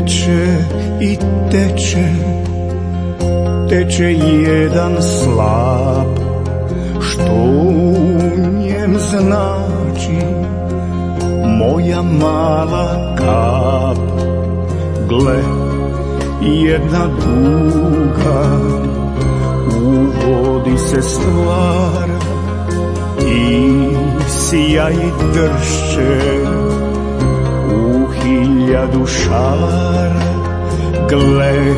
teče i teče, teče jedan slap, što u njem znači moja mala kap. Gle, jedna duga u vodi se stvara i sija i dršće u 1000 šara. Gle,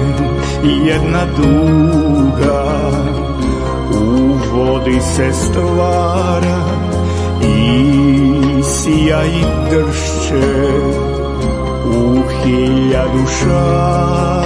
jedna duga u vodi se stvara i sija i dršće u 1000 šara.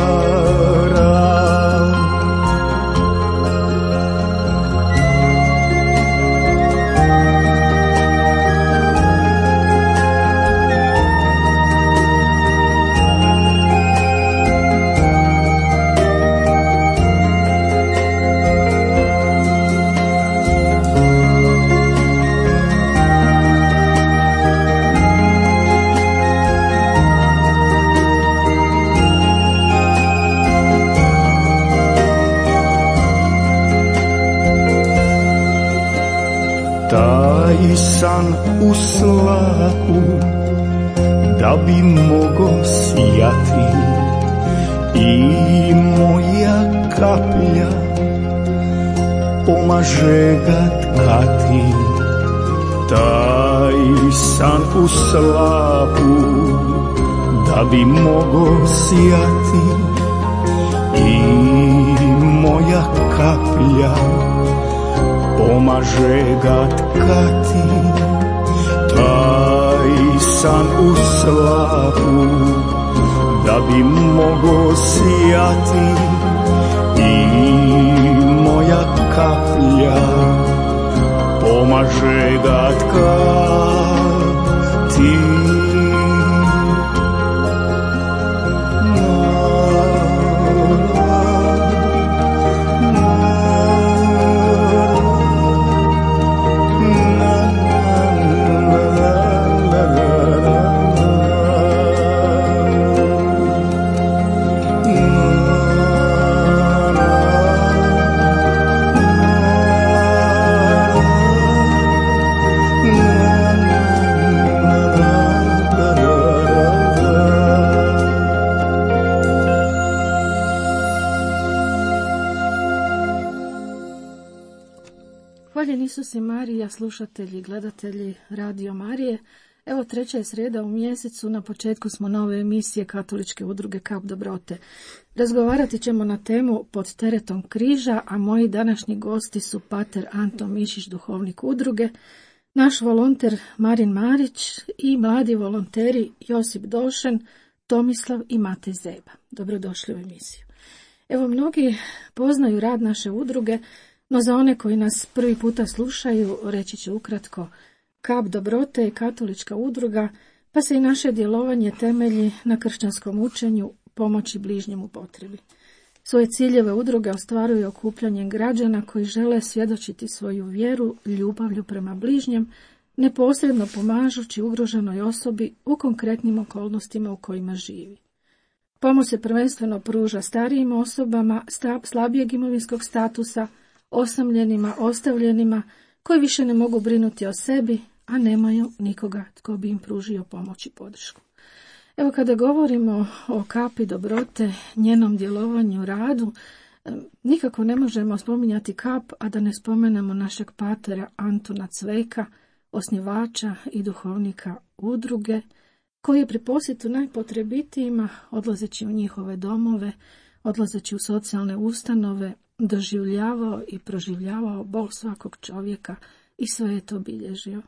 Taj san u slapu da bi mogo sijati i moja kaplja pomaže ga tkati. Taj san u slapu da bi mogo sijati i moja kaplja pomaže ga tkati. Taj san u slapu da bi mogo sijati i moja kaplja pomaže ga tkati. Hvaljeni Isus i Marija, slušatelji i gledatelji Radio Marije. Evo, 3. je srijeda u mjesecu, na početku smo nove emisije Katoličke udruge Kap dobrote. Razgovarati ćemo na temu Pod teretom križa, a moji današnji gosti su pater Anton Mišić, duhovnik udruge, naš volonter Marin Marić i mladi volonteri Josip Došen, Tomislav i Matej Zeba. Dobrodošli u emisiju. Evo, mnogi poznaju rad naše udruge, no za one koji nas prvi puta slušaju, reći ću ukratko, Kap dobrote je katolička udruga, pa se i naše djelovanje temelji na kršćanskom učenju pomoći bližnjem u potrebi. Svoje ciljeve udruge ostvaruju okupljanjem građana koji žele svjedočiti svoju vjeru ljubavlju prema bližnjem, neposredno pomažući ugroženoj osobi u konkretnim okolnostima u kojima živi. Pomoć se prvenstveno pruža starijim osobama slabijeg imovinskog statusa, osamljenima, ostavljenima, koji više ne mogu brinuti o sebi, a nemaju nikoga tko bi im pružio pomoć i podršku. Evo, kada govorimo o Kapi dobrote, njenom djelovanju, radu, nikako ne možemo spominjati Kap, a da ne spomenemo našeg patera Antuna Cveka, osnivača i duhovnika udruge, koji je pri posjetu najpotrebitijima, odlazeći u njihove domove, odlazeći u socijalne ustanove, doživljavao i proživljavao bol svakog čovjeka i sve je to bilježio.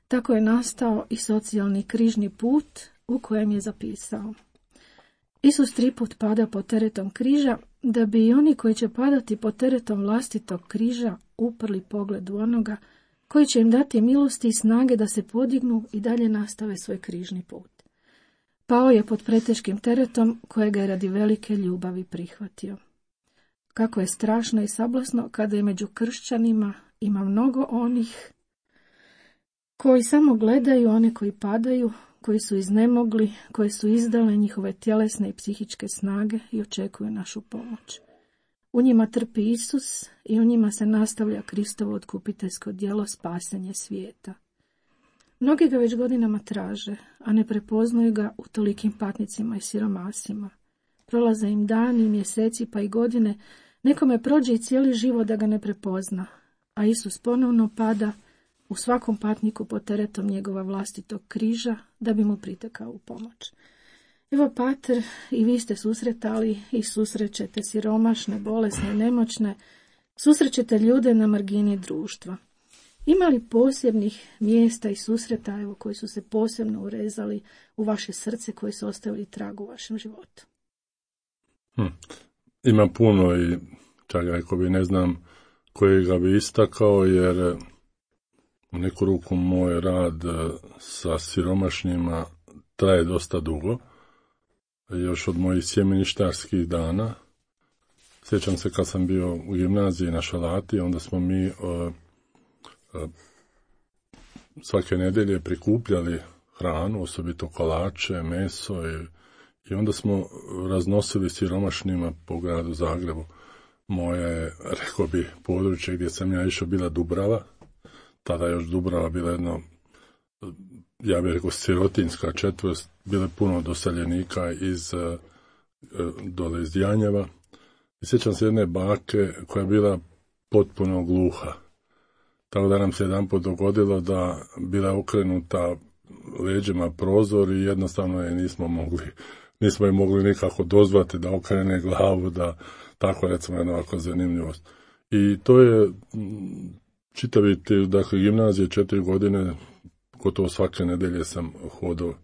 Tako je nastao i socijalni križni put u kojem je zapisao: Isus 3 put pada pod teretom križa, da bi i oni koji će padati pod teretom vlastitog križa uprli pogled u onoga koji će im dati milosti i snage da se podignu i dalje nastave svoj križni put. Pao je pod preteškim teretom kojega je radi velike ljubavi prihvatio. Kako je strašno i sablasno kada je među kršćanima ima mnogo onih koji samo gledaju one koji padaju, koji su iznemogli, koje su izdale njihove tjelesne i psihičke snage i očekuju našu pomoć. U njima trpi Isus i u njima se nastavlja Kristovo otkupiteljsko djelo spasenje svijeta. Mnogi ga već godinama traže, a ne prepoznaju ga u tolikim patnicima i siromasima. Prolaze im dani, mjeseci pa i godine, nekome prođe i cijeli život da ga ne prepozna, a Isus ponovno pada u svakom patniku pod teretom njegova vlastitog križa da bi mu pritekao u pomoć. Evo, pater, i vi ste susretali i susrećete siromašne, bolesne, nemoćne, susrećete ljude na margini društva. Ima li posebnih mjesta i susreta koji su se posebno urezali u vaše srce, koji su ostavili trag u vašem životu? Ima puno i čak ako bi ne znam kojega bi istakao, jer u neku ruku moj rad sa siromašnjima traje dosta dugo, još od mojih sjemeništarskih dana. Sjećam se kad sam bio u gimnaziji na Šalati, onda smo mi svake nedjelje prikupljali hranu, osobito kolače, meso i onda smo raznosili siromašnima po gradu Zagrebu. Moje, rekao bi, područje gdje sam ja išao bila Dubrava, tada još Dubrava bila jedno, ja bih rekao, sirotinjska četvrt, bilo je puno doseljenika dole iz Janjeva. I sjećam se jedne bake koja je bila potpuno gluha. Tako da nam se jedanput dogodilo da bila okrenuta leđima prozor i jednostavno je nismo je mogli nikako dozvati da okrene glavu, da tako recimo jedna ovako zanimljivost. I to je čitaviti, dakle, gimnazije 4 godine, gotovo svake nedjelje sam hodao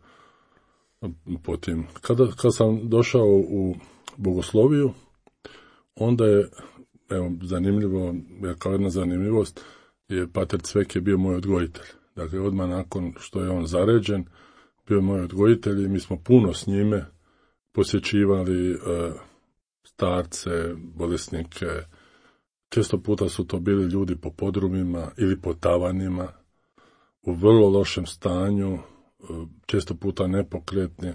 po tim. Kad sam došao u bogosloviju, onda je, evo, zanimljivo, kao jedna zanimljivost, je pater Cvek je bio moj odgojitelj. Dakle, odmah nakon što je on zaređen, bio je moj odgojitelj i mi smo puno s njime posjećivali starce, bolesnike. Često puta su to bili ljudi po podrumima ili po tavanima, u vrlo lošem stanju, često puta nepokretni.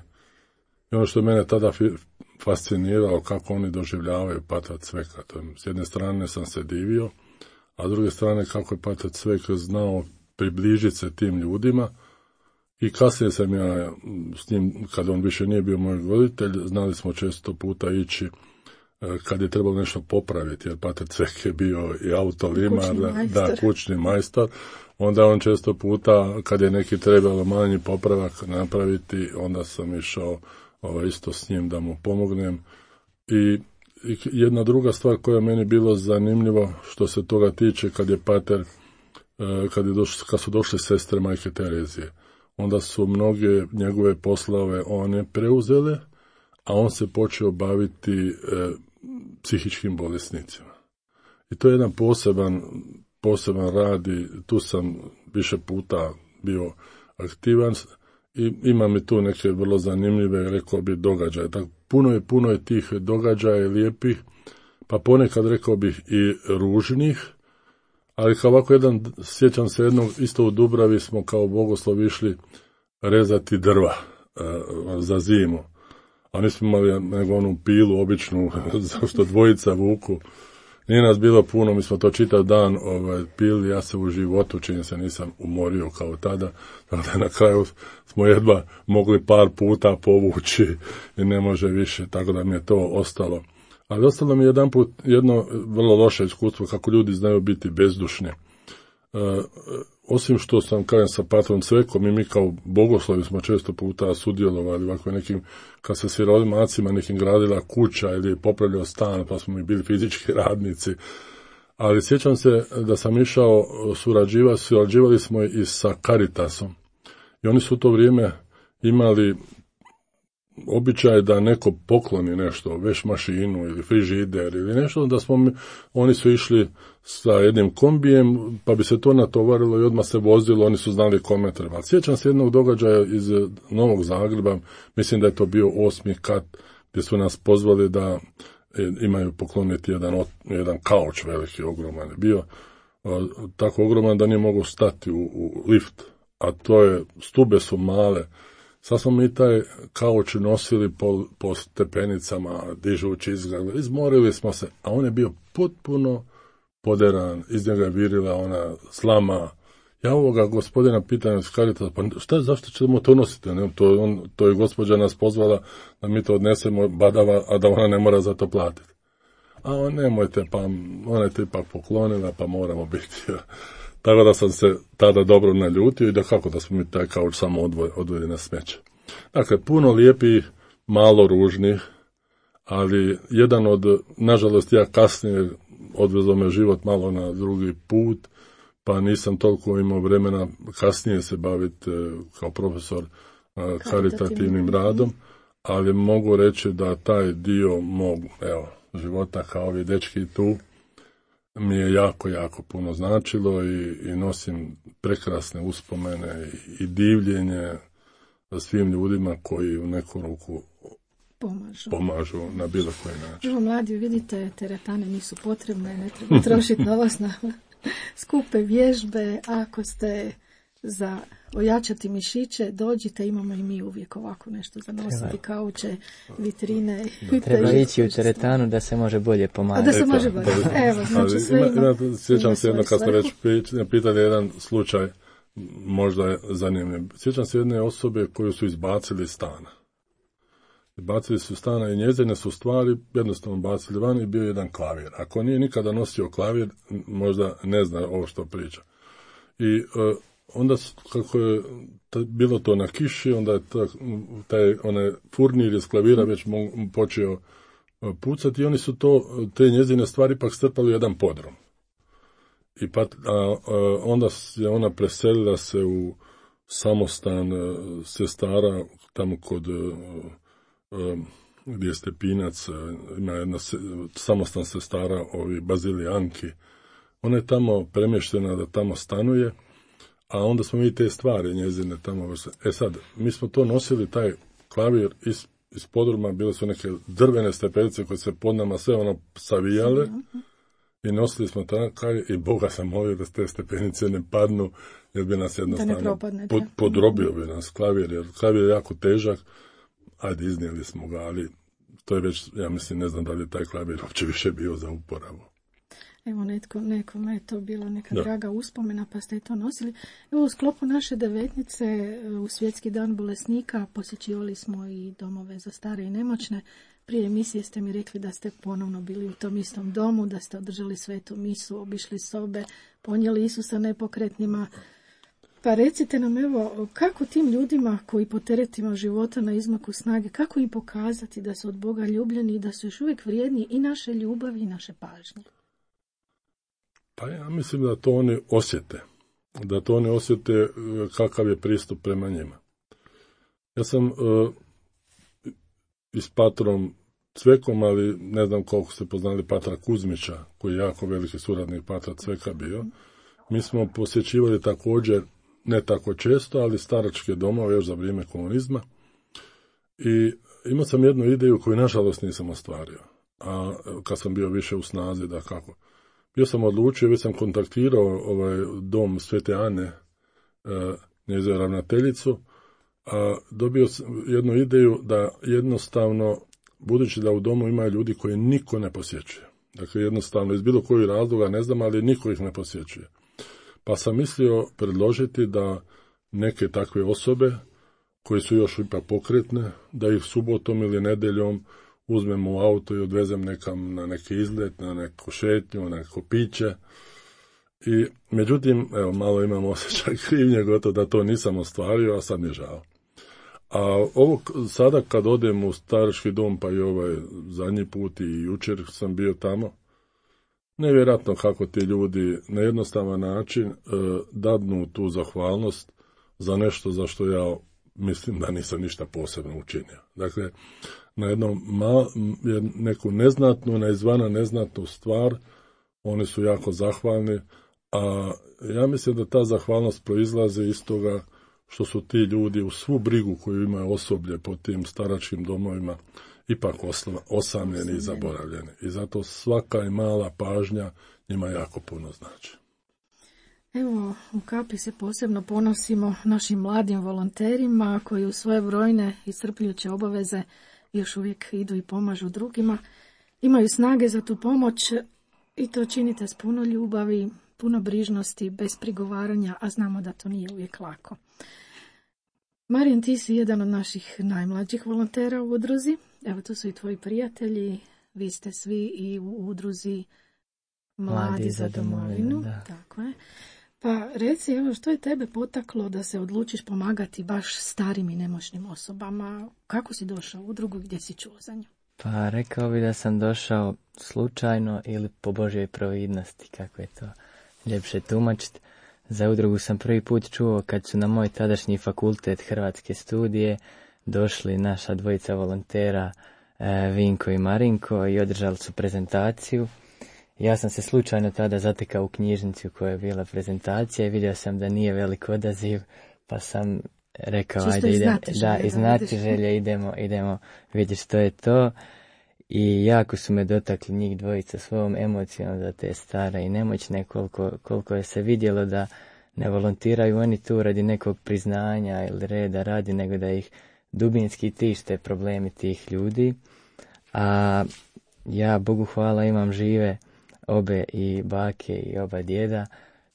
I ono što je mene tada fasciniralo, kako oni doživljavaju pater Cveka. S jedne strane sam se divio, a s druge strane kako je pater Cvek znao približiti se tim ljudima. I kasnije sam ja s njim, kad on više nije bio moj voditelj, znali smo često puta ići kad je trebalo nešto popraviti, jer pater Cvek je bio i autolimar, kućni majstor. Onda on često puta, kad je neki trebalo manji popravak napraviti, onda sam išao isto s njim da mu pomognem. I jedna druga stvar koja je meni bilo zanimljivo što se toga tiče, kad je pater, kad su došle sestre Majke Terezije, onda su mnoge njegove poslove one preuzele, a on se počeo baviti psihičkim bolesnicima. I to je jedan poseban rad i tu sam više puta bio aktivan i imam i tu neke vrlo zanimljive, rekao bi, događaje. Tako, puno je tih događaja lijepih, pa ponekad rekao bih i ružnih, ali kao ovako sjećam se jednog, isto u Dubravi smo kao bogoslovi išli rezati drva za zimu. A nismo imali nego onu pilu običnu, što dvojica vuku. Nije nas bilo puno, mi smo to čitav dan pili, ja se u životu, čini se, nisam umorio kao tada. Tako da na kraju smo jedva mogli par puta povući i ne može više, tako da mi je to ostalo. Ali ostalo mi jedno vrlo loše iskustvo, kako ljudi znaju biti bezdušni. Osim što sam, kažem, sa patrom Cvekom i mi kao bogoslovi smo često puta sudjelovali ovako nekim, kad se siromacima nekim gradila kuća ili popravljao stan, pa smo mi bili fizički radnici. Ali sjećam se da sam išao surađivali smo i sa Caritasom. I oni su u to vrijeme imali običaj da neko pokloni nešto, veš mašinu ili frižider ili nešto, da oni su išli sa jednim kombijem, pa bi se to natovarilo i odmah se vozilo, oni su znali kome treba. Sjećam se jednog događaja iz Novog Zagreba, mislim da je to bio 8. kat, gdje su nas pozvali da imaju pokloniti jedan kauč veliki, ogroman je bio, tako ogroman da nije mogao stati u lift, a stube su male. Sad smo mi taj kauč nosili po stepenicama, dižući izgled, izmorili smo se, a on je bio potpuno poderan, iz njega je virila ona slama. Ja ovoga gospodina pitam iz Caritasa, pa zašto ćemo to nositi? Ne? To je gospođa nas pozvala da mi to odnesemo badava, a da ona ne mora za to platiti. A nemojte, pa ona je to ipak poklonila, pa moramo biti. Tako da sam se tada dobro naljutio i da kako da smo mi taj kauč samo odveli na smeće. Dakle, puno lijepih, malo ružnih, ali jedan od, nažalost, ja kasnije odvezao me život malo na drugi put, pa nisam toliko imao vremena kasnije se baviti kao profesor karitativnim radom, ali mogu reći da taj dio mog života kao ovi dečki tu mi je jako, jako puno značilo i nosim prekrasne uspomene i divljenje svim ljudima koji u neku ruku pomažu na bilo koji način. Evo mladi, vidite, teretane nisu potrebne, ne treba trošiti novac na skupe vježbe. Ako ste za ojačati mišiće, dođite, imamo i mi uvijek ovako nešto za nositi, kauče, vitrine. Treba ići u teretanu da se može bolje pomagati. Da se može bolje. Evo, znači sve ima. Sjećam se jedno, kad ste već pitali jedan slučaj, možda je zanimljiv. Sjećam se jedne osobe koju su izbacili iz stana. Bacili su stana i njezine su stvari jednostavno bacili van i bio jedan klavir. Ako nije nikada nosio klavir, možda ne zna ovo što priča. I onda, kako je bilo to na kiši, onda je taj onaj furnir iz klavira već počeo pucati i oni su te njezine stvari pak strpali u jedan podrum. I onda je ona preselila se u samostan sestara tamo kod gdje je Stepinac, ima jedna samostan sestara, Bazilijanki. Ona je tamo premještena da tamo stanuje, a onda smo mi te stvari njezine tamo. Sad, mi smo to nosili, taj klavir iz podruma, bile su neke drvene stepenice koje se pod nama sve savijale i nosili smo tako i Boga sam molio da te stepenice ne padnu, jer bi nas jednostavno podrobio bi nas klavir, jer klavir je jako težak. Ajde, iznijeli smo ga, ali to je već, ja mislim, ne znam da li je taj klavir uopće više bio za uporabu. Evo, nekome je to bila neka draga uspomena, pa ste to nosili. Evo, u sklopu naše devetnice, u Svjetski dan bolesnika, posjećivali smo i domove za stare i nemoćne. Prije emisije ste mi rekli da ste ponovno bili u tom istom domu, da ste održali svetu misu, obišli sobe, ponijeli Isusa nepokretnima. Pa recite nam, evo, kako tim ljudima koji po teretima života na izmaku snage, kako im pokazati da su od Boga ljubljeni i da su još uvijek vrijedni i naše ljubavi i naše pažnje? Pa ja mislim da to oni osjete. Da to oni osjete kakav je pristup prema njima. Ja sam i s patrom Cvekom, ali ne znam koliko ste poznali patra Kuzmića, koji je jako veliki suradnik patra Cveka bio. Mi smo posjećivali također, ne tako često, ali staračke domove još za vrijeme komunizma. I imao sam jednu ideju koju nažalost nisam ostvario. A kad sam bio više u snazi, da kako. Bio sam odlučio, već sam kontaktirao dom Svete Ane, njezinu ravnateljicu, a dobio sam jednu ideju da jednostavno, budući da u domu ima ljudi koji niko ne posjećuje. Dakle, jednostavno, iz bilo kojih razloga, ne znam, ali niko ih ne posjećuje. Pa sam mislio predložiti da neke takve osobe, koje su još ipak pokretne, da ih subotom ili nedeljom uzmem u auto i odvezem nekam na neki izlet, na neku šetnju, na neko piće. I međutim, evo, malo imam osjećaj krivnje, gotovo da to nisam ostvario, a sad mi je žao. A ovo sada kad odem u starački dom, pa i zadnji put i jučer sam bio tamo, nevjerojatno kako ti ljudi na jednostavan način dadnu tu zahvalnost za nešto za što ja mislim da nisam ništa posebno učinio. Dakle, na neku neznatnu, na izvana neznatnu stvar, oni su jako zahvalni, a ja mislim da ta zahvalnost proizlazi iz toga što su ti ljudi u svu brigu koju imaju osoblje po tim staračkim domovima ipak osamljeni i zaboravljeni. I zato svaka i mala pažnja njima jako puno znači. Evo, u Kapi se posebno ponosimo našim mladim volonterima koji u svoje brojne iscrpljujuće obaveze još uvijek idu i pomažu drugima. Imaju snage za tu pomoć i to činite s puno ljubavi, puno brižnosti, bez prigovaranja, a znamo da to nije uvijek lako. Marijan, ti si jedan od naših najmlađih volontera u udruzi. Evo, tu su i tvoji prijatelji. Vi ste svi i u udruzi Mladi za domovinu. Tako je. Pa reci, evo, što je tebe potaklo da se odlučiš pomagati baš starim i nemoćnim osobama? Kako si došao u udrugu, gdje si čuo za nju? Pa rekao bi da sam došao slučajno ili po Božjoj providnosti, kako je to ljepše tumačiti. Za udrugu sam prvi put čuo kad su na moj tadašnji fakultet Hrvatske studije došli naša dvojica volontera, Vinko i Marinko, i održali su prezentaciju. Ja sam se slučajno tada zatekao u knjižnici u kojoj je bila prezentacija i vidio sam da nije velik odaziv, pa sam rekao, čisto ajde iz znatiželje idemo vidjeti što je to. I jako su me dotakli njih dvojica svojom emocijom za te stare i nemoćne, koliko je se vidjelo da ne volontiraju oni tu radi nekog priznanja ili reda radi, nego da ih dubinski tište problemi tih ljudi. A ja, Bogu hvala, imam žive obe i bake i oba djeda,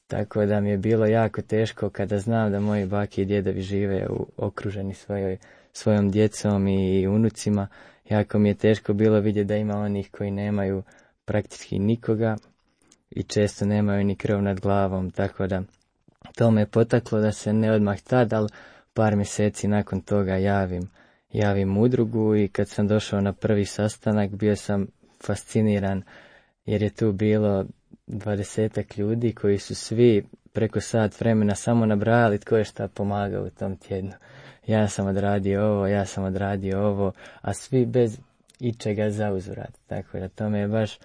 tako da mi je bilo jako teško kada znam da moji bake i djedovi žive okruženi svojom djecom i unucima. Jako mi je teško bilo vidjeti da ima onih koji nemaju praktički nikoga i često nemaju ni krov nad glavom, tako da to me potaklo da se ne odmah tad, ali par mjeseci nakon toga javim udrugu. I kad sam došao na prvi sastanak bio sam fasciniran jer je tu bilo 20 ljudi koji su svi preko sat vremena samo nabrajali tko je šta pomagao u tom tjednu. Ja sam odradio ovo, a svi bez ičega za uzvrat. Tako da to me je baš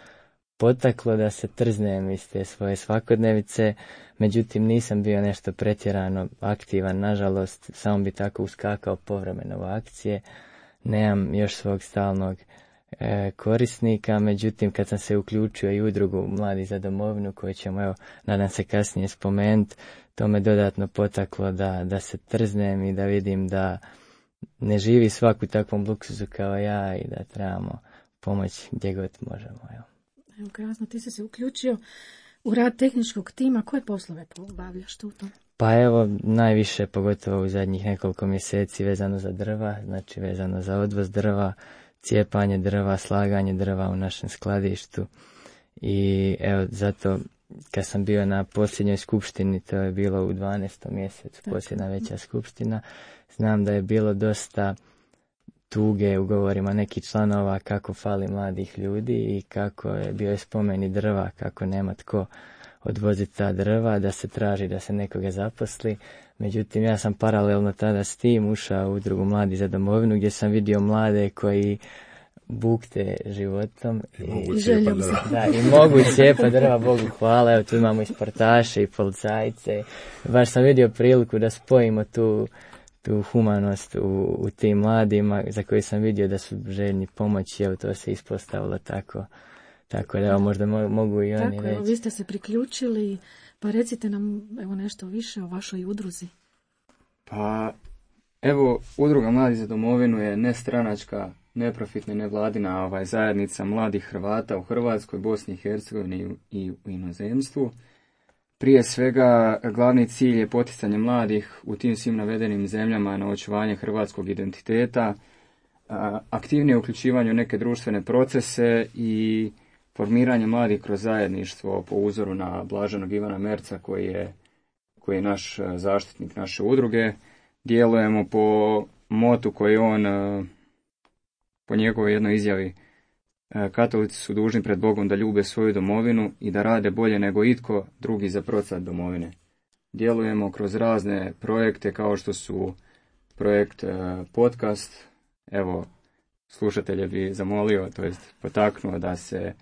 potaklo da se trznem iz te svoje svakodnevice, međutim nisam bio nešto pretjerano aktivan, nažalost, samo bi tako uskakao povremeno u akcije. Nemam još svog stalnog korisnika, međutim kad sam se uključio i u udrugu Mladi za domovinu, koju ćemo, evo, nadam se kasnije spomenuti, to me dodatno potaklo da se trznem i da vidim da ne živi svaku takvom luksuzu kao ja i da trebamo pomoći gdje god možemo. Evo, krasno, ti si se uključio u rad tehničkog tima. Koje poslove obavljaš tu? Pa evo, najviše, pogotovo u zadnjih nekoliko mjeseci, vezano za drva, znači vezano za odvoz drva, cijepanje drva, slaganje drva u našem skladištu. I evo, zato kad sam bio na posljednjoj skupštini, to je bilo u 12. mjesecu, posljedna veća skupština, znam da je bilo dosta tuge u govorima nekih članova kako fali mladih ljudi i kako je bio spomeni drva, kako nema tko odvoziti ta drva, da se traži da se nekoga zaposli. Međutim, ja sam paralelno tada s tim ušao u udrugu Mladi za domovinu, gdje sam vidio mlade koji bukte životom i mogu cijepati drva, Bogu hvala. Evo, tu imamo i sportaše i policajce. Baš sam vidio priliku da spojimo tu humanost u tim mladima za koje sam vidio da su željni pomoći. Evo, to se ispostavilo tako da, evo, možda mogu i oni reći. Vi ste se priključili, pa recite nam, evo, nešto više o vašoj udruzi. Pa evo, udruga Mladi za domovinu je nestranačka, neprofitna, nevladina zajednica mladih Hrvata u Hrvatskoj, Bosni i Hercegovini i u inozemstvu. Prije svega, glavni cilj je poticanje mladih u tim svim navedenim zemljama na očuvanje hrvatskog identiteta, aktivnije uključivanje u neke društvene procese i formiranje mladih kroz zajedništvo po uzoru na blaženog Ivana Merca koji je naš zaštitnik naše udruge. Djelujemo po motu koji on, po njegovoj jednoj izjavi, katolici su dužni pred Bogom da ljube svoju domovinu i da rade bolje nego itko drugi za procvat domovine. Djelujemo kroz razne projekte kao što su projekt podcast. Evo, slušatelje bi zamolio, to jest potaknuo da se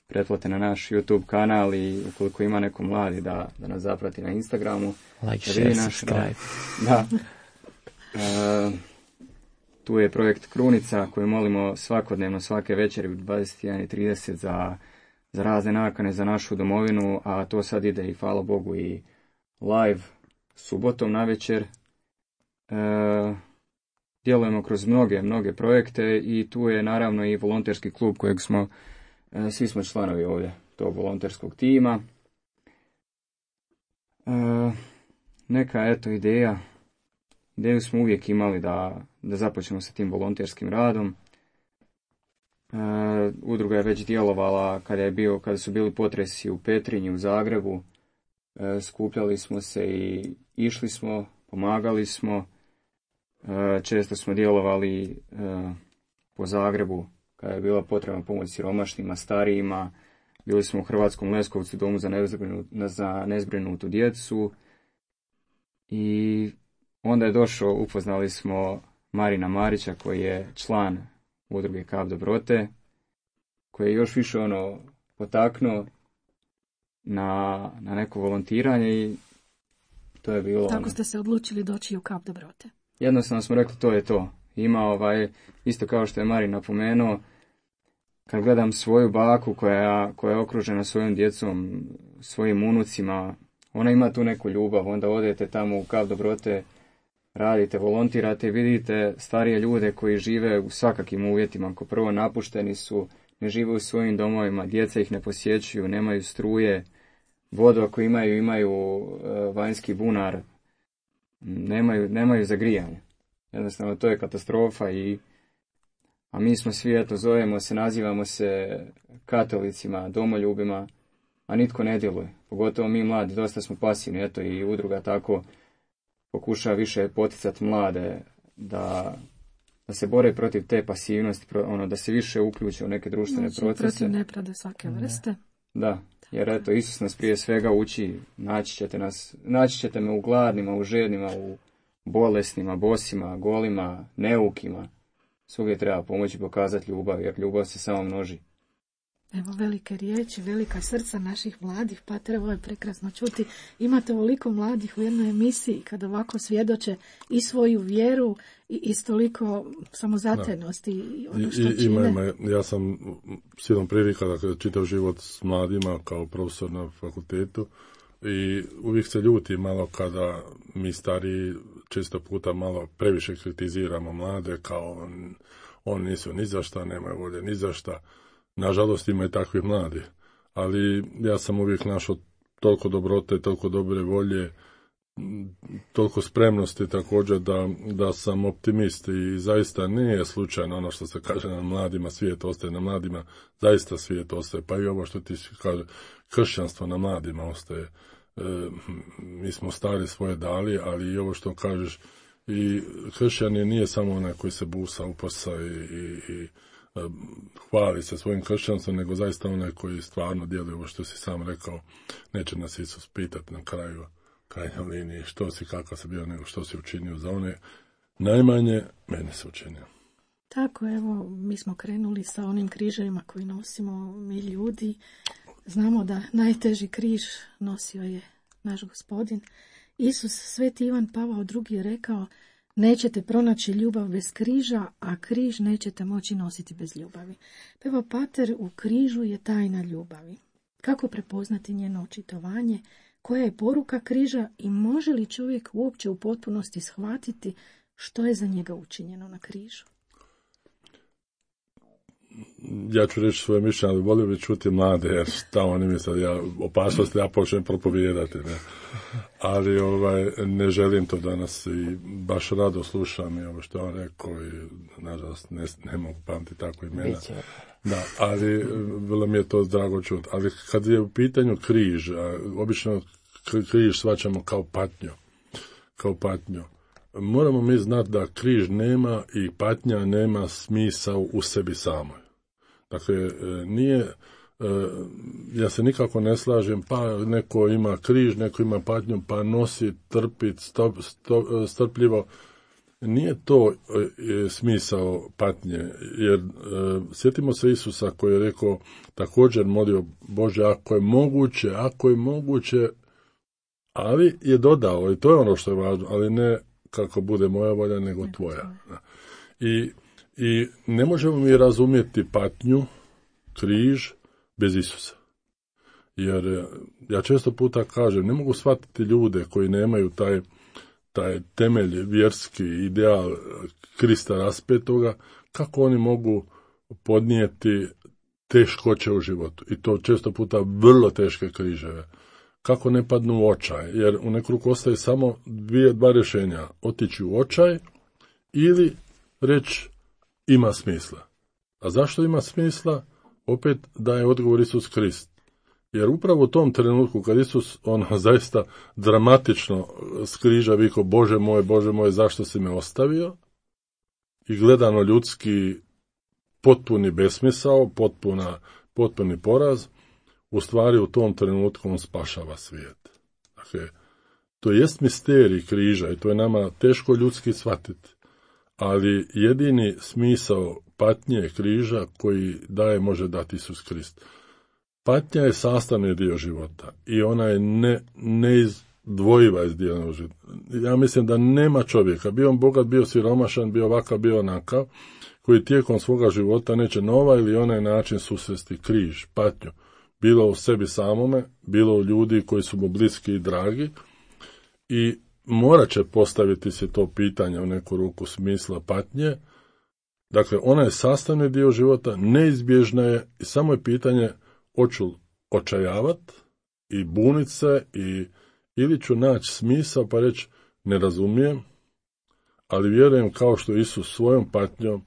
pretplate na naš YouTube kanal i ukoliko ima neko mladi da nas zaprati na Instagramu. Like, share, subscribe. Da. Tu je projekt Krunica koju molimo svakodnevno, svake večeri u 21:30 za razne nakane za našu domovinu, a to sad ide i hvala Bogu i live subotom navečer. Djelujemo kroz mnoge projekte i tu je naravno i volonterski klub kojeg svi smo članovi ovdje tog volonterskog tima. Neka ideju smo uvijek imali da započnemo sa tim volonterskim radom. Udruga je već djelovala kada su bili potresi u Petrinji, u Zagrebu. Skupljali smo se i išli smo, pomagali smo. Često smo djelovali po Zagrebu kada je bila potrebna pomoć siromašnima, starijima. Bili smo u Hrvatskom Leskovcu, domu za nezbrinutu djecu. I onda je upoznali smo Marina Marića koji je član udruge Kap dobrote, koji je još više potaknuo na neko volontiranje i to je bilo... Tako ste se odlučili doći u Kap dobrote. Jednostavno smo rekli to je to. Ima isto kao što je Marin napomenuo, kad gledam svoju baku koja je okružena svojom djecom, svojim unucima, ona ima tu neku ljubav, onda odete tamo u Kap dobrote, radite, volontirate, vidite starije ljude koji žive u svakakim uvjetima, ko prvo napušteni su, ne žive u svojim domovima, djeca ih ne posjećuju, nemaju struje, vodu ako imaju vanjski bunar, nemaju za grijanje. Jednostavno to je katastrofa a mi smo svi, zovemo se, nazivamo se katolicima, domoljubima, a nitko ne djeluje. Pogotovo mi mladi, dosta smo pasivni, i udruga tako pokušava više poticati mlade da se bore protiv te pasivnosti, da se više uključe u neke društvene procese. Protiv nepravde svake vrste. Da, jer Isus nas prije svega uči, naći ćete me u gladnima, u žednima, u bolesnima, bosima, golima, neukima. Svugdje treba pomoći pokazati ljubav, jer ljubav se samo množi. Evo velike riječi, velika srca naših mladih, Pater, ovo je prekrasno čuti. Imate ovoliko mladih u jednoj emisiji kad ovako svjedoče i svoju vjeru i toliko samozatajnosti i ono što čine. Ja sam silom prilika da čitav život s mladima kao profesor na fakultetu i uvijek se ljuti malo kada mi stariji često puta malo previše kritiziramo mlade kao oni nisu ni za šta, nemaju volje ni za šta. Nažalost ima i takvih mladih, ali ja sam uvijek našao toliko dobrote, toliko dobre volje, toliko spremnosti također da sam optimist i zaista nije slučajno ono što se kaže na mladima, svijet ostaje na mladima, zaista svijet ostaje, pa i ovo što ti kaže, kršćanstvo na mladima ostaje. Mi smo stari svoje dali, ali i ovo što kažeš, i kršćanin nije samo onaj koji se busa, uposa i hvali se svojim kršćanstvom, nego zaista onaj koji stvarno djeluje ovo što si sam rekao, neće nas Isus pitati na krajnjoj liniji što si, kako si bio, nego što si učinio za one najmanje, mene se učinio. Tako, evo, mi smo krenuli sa onim križevima koji nosimo mi ljudi. Znamo da najteži križ nosio je naš Gospodin. Isus, Sveti Ivan Pavao II je rekao: nećete pronaći ljubav bez križa, a križ nećete moći nositi bez ljubavi. Evo, Pater, u križu je tajna ljubavi. Kako prepoznati njeno očitovanje? Koja je poruka križa i može li čovjek uopće u potpunosti shvatiti što je za njega učinjeno na križu? Ja ću reći svoje mišljenje, ali volio bi čuti mlade, jer šta oni misle, opasnost ja počnem propovijedati, ne. Ali ne želim to danas i baš rado slušam i ovo što on rekao i nažalost ne mogu pamtiti tako imena. Da, ali vrlo mi je to drago čuti. Ali kad je u pitanju križ, obično križ shvaćamo kao patnju. Moramo mi znati da križ nema i patnja nema smisao u sebi samoj. Dakle, nije, ja se nikako ne slažem, pa neko ima križ, neko ima patnju, pa nosi, trpi, strpljivo. Nije to smisao patnje, jer sjetimo se Isusa koji je rekao, također molio Bože, ako je moguće, ali je dodao, i to je ono što je važno, ali ne kako bude moja volja, nego tvoja. I ne možemo mi razumjeti patnju, križ, bez Isusa. Jer ja često puta kažem, ne mogu shvatiti ljude koji nemaju taj temelj, vjerski ideal Krista raspetoga, kako oni mogu podnijeti teškoće u životu. I to često puta vrlo teške križeve. Kako ne padnu u očaj, jer u neku ruku ostaje samo dva rješenja. Otići u očaj ili reći ima smisla. A zašto ima smisla? Opet daje odgovor Isus Krist. Jer upravo u tom trenutku kad Isus zaista dramatično s križa vikao Bože moj, zašto si me ostavio? I gledano ljudski potpuni besmisao, potpuni poraz, u stvari u tom trenutku on spašava svijet. Dakle, to jest misterij križa i to je nama teško ljudski shvatiti. Ali jedini smisao patnje križa koji može dati Isus Krist. Patnja je sastavni dio života i ona je neizdvojiva iz dijela života. Ja mislim da nema čovjeka, bio on bogat, bio siromašan, bio ovakav, bio onakav, koji tijekom svoga života neće na ovaj ili onaj način susresti križ, patnju. Bilo u sebi samome, bilo u ljudi koji su mu bliski i dragi i morat će postaviti se to pitanje u neku ruku smisla patnje. Dakle, ona je sastavni dio života, neizbježna je i samo je pitanje hoću očajavat i bunit se ili ću naći smisao pa reći ne razumijem, ali vjerujem kao što Isus svojom patnjom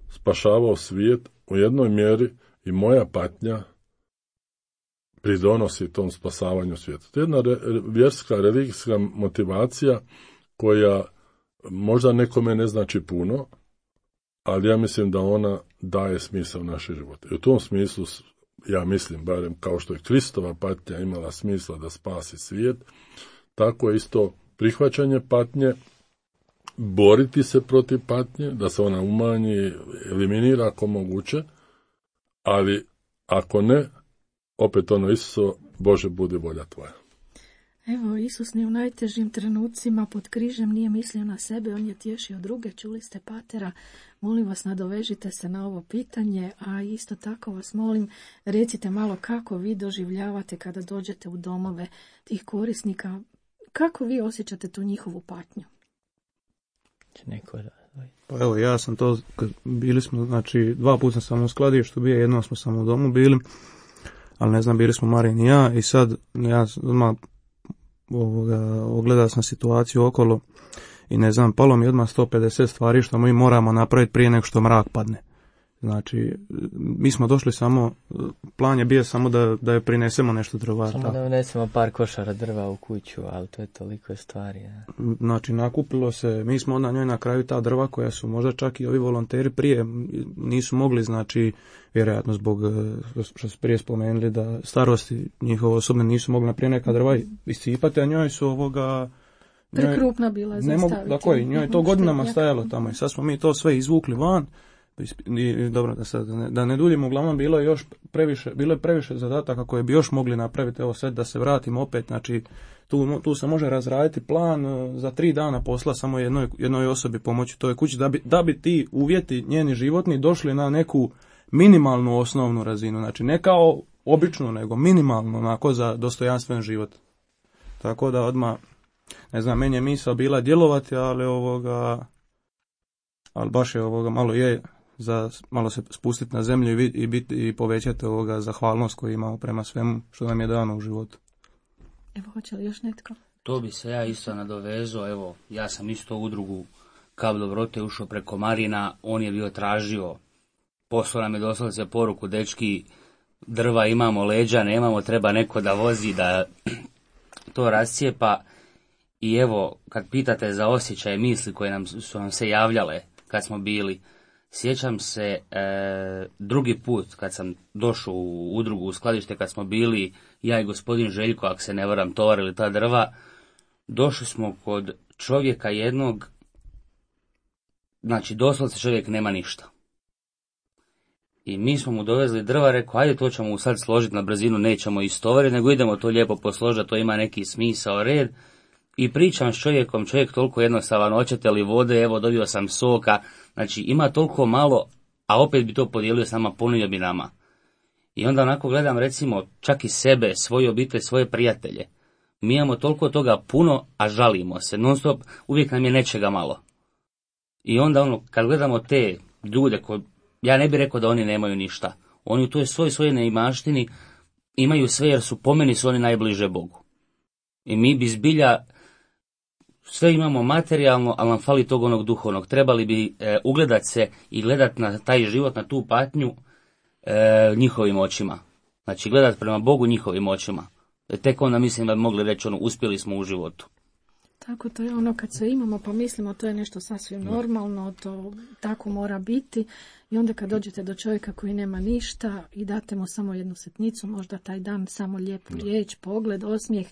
spašavao svijet, u jednoj mjeri i moja patnja pridonosi tom spasavanju svijeta. To je jedna vjerska, religijska motivacija koja možda nekome ne znači puno, ali ja mislim da ona daje smisao u naše živote. I u tom smislu, ja mislim, barem kao što je Kristova patnja imala smisla da spasi svijet, tako je isto prihvaćanje patnje, boriti se protiv patnje, da se ona umanji, eliminira ako moguće, ali ako ne, opet Isuso, Bože, budi volja tvoja. Evo, Isus ni u najtežim trenucima pod križem nije mislio na sebe, on je tješio druge, čuli ste patera. Molim vas, nadovežite se na ovo pitanje, a isto tako vas molim, recite malo kako vi doživljavate kada dođete u domove tih korisnika, kako vi osjećate tu njihovu patnju? Pa evo, ja sam to, bili smo, znači, 2 puta sam u skladištu bio, jednom smo samo u domu bili, ali ne znam, bili smo Marin i ja, i sad ja odmah ogledao sam situaciju okolo i ne znam, palo mi odmah 150 stvari što mi moramo napraviti prije nego što mrak padne. Znači, mi smo došli samo, plan je bio samo da je prinesemo nešto drva. Samo da unesemo par košara drva u kuću, ali to je toliko stvari. Ja. Znači, nakupilo se, mi smo onda njoj na kraju ta drva koja su možda čak i ovi volonteri prije nisu mogli, znači, vjerojatno zbog, što su prije spomenuli, da starosti njihove osobne nisu mogli naprije neka drva iscipati, a njoj su prekrupna bila za staviti. Tako je, njoj je to godinama stajalo tamo i sad smo mi to sve izvukli van. I dobro, da ne duljimo, uglavnom bilo je previše zadataka koje bi još mogli napraviti. Evo sad da se vratimo opet, znači tu se može razraditi plan za 3 dana posla samo jednoj osobi pomoći toj kući da bi ti uvjeti njeni životni došli na neku minimalnu osnovnu razinu, znači ne kao obično nego minimalno onako za dostojanstven život. Tako da odmah, ne znam, meni je misao bila djelovati, ali baš je malo se spustiti na zemlju i povećati zahvalnost koju imamo prema svemu što nam je dano u životu. Evo, hoće li još netko? To bi se ja isto nadovezao, evo, ja sam isto u udrugu Kap dobrote ušao preko Marina, on je bio tražio, poslao nam je doslovce poruku, dečki, drva imamo, leđa nemamo, treba neko da vozi, da to rascijepa. I evo, kad pitate za osjećaje, misli koje su nam se javljale kad smo bili, sjećam se drugi put kad sam došao u udrugu, u skladište, kad smo bili, ja i gospodin Željko, ako se ne varam, tovarili ta drva, došli smo kod čovjeka jednog, znači doslovce čovjek nema ništa. I mi smo mu dovezli drva, rekao, ajde to ćemo sad složiti na brzinu, nećemo istovariti, nego idemo to lijepo posložiti, to ima neki smisao, red. I pričam s čovjekom, čovjek toliko jednostavan, hoćete li vode, evo dobio sam soka, znači ima toliko malo, a opet bi to podijelio s nama, ponio bi nama. I onda onako gledam recimo čak i sebe, svoju obitelj, svoje prijatelje. Mi imamo toliko toga puno, a žalimo se. Non stop, uvijek nam je nečega malo. I onda kad gledamo te ljude, ja ne bih rekao da oni nemaju ništa. Oni u toj svojoj neimaštini imaju sve jer po meni su oni najbliže Bogu. I mi bi zbilja sve imamo materijalno, ali nam fali tog onog duhovnog. Trebali bi ugledati se i gledati na taj život, na tu patnju njihovim očima. Znači gledati prema Bogu njihovim očima. Tek onda mislim da bi mogli reći uspjeli smo u životu. Tako to je kad se imamo pa mislimo to je nešto sasvim normalno, to tako mora biti i onda kad dođete do čovjeka koji nema ništa i date mu samo jednu sitnicu, možda taj dan samo lijepu riječ, pogled, osmijeh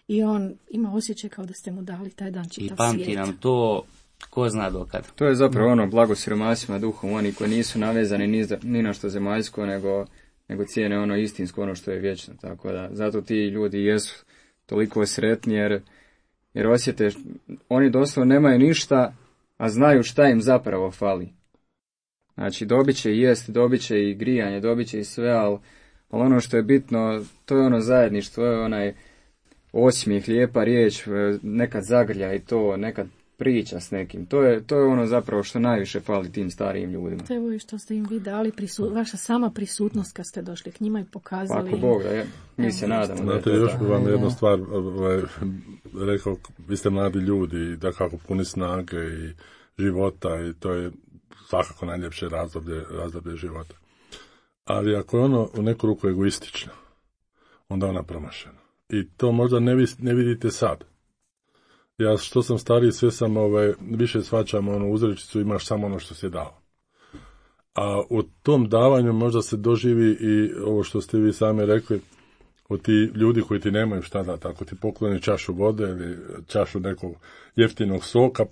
i on ima osjećaj kao da ste mu dali taj dan čitav svijet. I pamti nam to ko zna dokad. To je zapravo blago siromasima duhom, oni koji nisu navezani ni na što zemaljsko, nego cijene istinsko, što je vječno. Tako da, zato ti ljudi jesu toliko sretni jer osjete, oni doslovno nemaju ništa, a znaju šta im zapravo fali. Znači, dobit će i jest, dobit će i grijanje, dobit će i sve, ali ono što je bitno, to je zajedništvo, to je onaj osmijeh, lijepa riječ, nekad zagrlja i to, nekad priča s nekim. To je zapravo što najviše fali tim starijim ljudima. Evo i što ste im vi dali, vaša sama prisutnost kad ste došli k njima i pokazali. Ako Bog da je, mi se nadamo. Znate, još bi vam jednu stvar rekao, vi ste mladi ljudi i da kako puni snage i života i to je svakako najljepše razdoblje života. Ali ako je u neku ruku egoistično, onda ona promašena. I to možda ne vidite sad. Ja što sam stariji, sve sam više shvaćam uzrečicu imaš samo ono što si dao. A u tom davanju možda se doživi i ovo što ste vi sami rekli, od ti ljudi koji ti nemaju šta dati. Ako ti pokloni čašu vode ili čašu nekog jeftinog soka,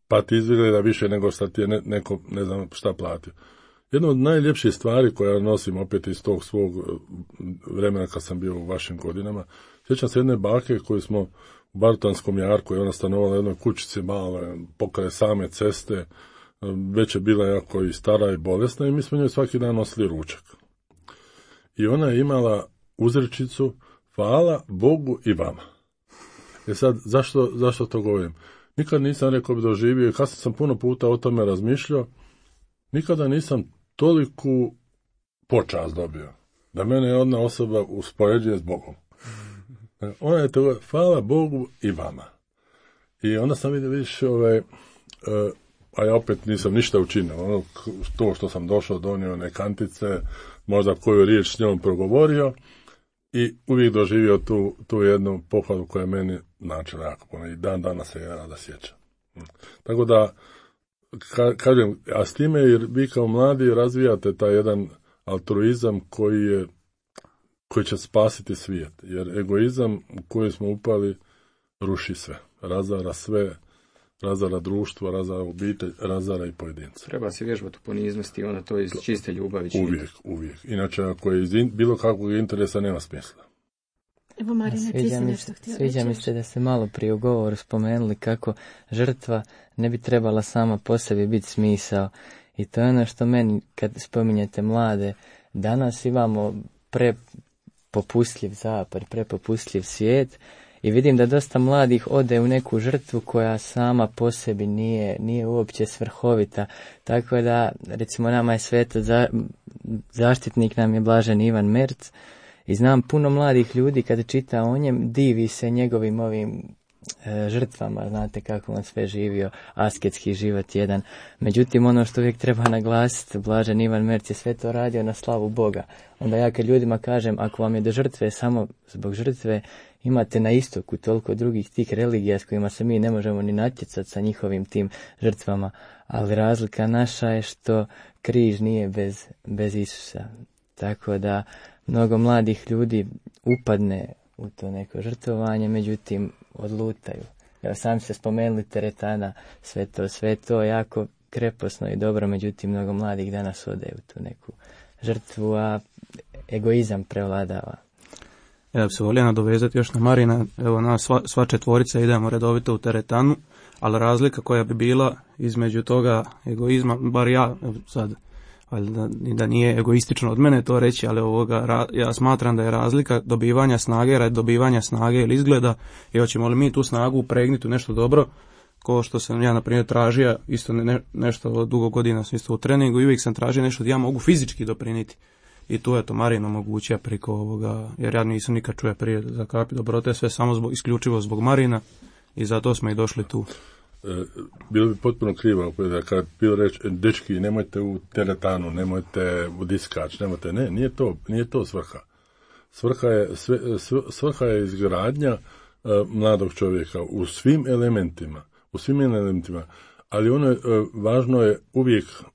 pa ti izgleda više nego što ti je neko ne znam šta platio. Jedna od najljepših stvari koja nosim opet iz tog svog vremena kad sam bio u vašim godinama, sjećam se jedne bake koju smo u Bartotanskom jarku, je ona stanovala u jednoj kućici malo, pokraj same ceste, već je bila jako i stara i bolesna i mi smo njoj svaki dan nosili ručak. I ona je imala uzrečicu hvala Bogu i vama. Sad, zašto to govorim? Nikad nisam rekao bi doživio, kasnije sam puno puta o tome razmišljao, nikada nisam toliku počast dobio, da mene jedna osoba uspoređuje s Bogom. Ona je to, hvala Bogu i vama. I onda sam vidio, vidiš, a ja opet nisam ništa učinio, to što sam došao, donio one kantice, možda koju riječ s njom progovorio i uvijek doživio tu jednu pohvalu koja je meni načela jako puno i dan danas se ja rada sjećam. Tako da, kažem, a s time jer vi kao mladi razvijate taj jedan altruizam koji će spasiti svijet, jer egoizam u koji smo upali ruši sve, razara sve, razara društvo, razara obitelj, razara i pojedinca. Treba se vježbati u poniznosti, onda to iz čiste ljubavi činiti. Uvijek. Inače, ako je iz bilo kakvog interesa, nema smisla. Evo, Marine, ti si nešto htjela reći. Sviđa mi se da ste malo prije u govoru spomenuli kako žrtva ne bi trebala sama po sebi biti smisao. I to je ono što meni, kad spominjete mlade, danas imamo prepopustljiv zapad, prepopustljiv svijet i vidim da dosta mladih ode u neku žrtvu koja sama po sebi nije uopće svrhovita. Tako da, recimo, nama je sveto zaštitnik nam je Blažen Ivan Merc i znam puno mladih ljudi kada čita o njem, divi se njegovim ovim žrtvama, znate kako on sve živio, asketski život jedan. Međutim, ono što uvijek treba naglasiti, Blažen Ivan Merc je sve to radio na slavu Boga. Onda ja kad ljudima kažem, ako vam je do žrtve samo zbog žrtve, imate na istoku toliko drugih tih religija s kojima se mi ne možemo ni natjecati sa njihovim tim žrtvama, ali razlika naša je što križ nije bez Isusa. Tako da mnogo mladih ljudi upadne u to neko žrtvovanje, međutim odlutaju. Evo, sami ste spomenuli teretana, sve to jako kreposno i dobro, međutim mnogo mladih danas ode u tu neku žrtvu, a egoizam prevladava. Ja bi se volio nadovezati još na Marina, evo nas sva četvorica idemo redovito u teretanu, ali razlika koja bi bila između toga egoizma, bar ja sad da nije egoistično od mene to reći, ali ja smatram da je razlika dobivanja snage radi dobivanja snage ili izgleda, i hoćemo li mi tu snagu upregnuti u nešto dobro, ko što sam ja na primjer tražio isto nešto dugo godina sam isto u treningu i uvijek sam tražio nešto da ja mogu fizički doprinijeti. I tu je to Marin omogućio preko ovoga, jer ja nisam nikad čuo prije za Kapi dobrote, sve samo isključivo zbog Marina i zato smo i došli tu. Bilo bi potpuno krivo kad bilo reći, dečki, nemojte u teretanu, nemojte u diskač, nemojte, ne, nije to svrha. Svrha je izgradnja mladog čovjeka u svim elementima, ali važno je